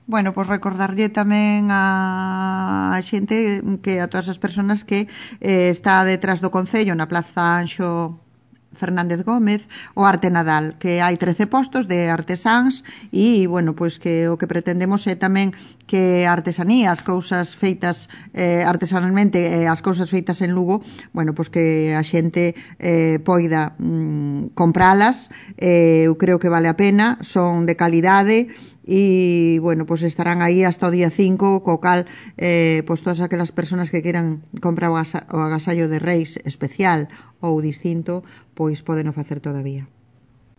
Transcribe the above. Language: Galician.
Bueno, pois recordarlle tamén a xente que a todas as persoas que está detrás do Concello na Plaza Anxo Fernández Gómez, o Arte Nadal, que hai 13 postos de artesáns e, bueno, pois que o que pretendemos é tamén que a artesanía, as cousas feitas artesanalmente, as cousas feitas en Lugo, bueno, pois que a xente poida compralas, eu creo que vale a pena, son de calidade e, bueno, pois estarán aí hasta o día 5, co cal pois todas aquelas persoas que queiran comprar o agasallo de Reis especial ou distinto, pois poden o facer todavía.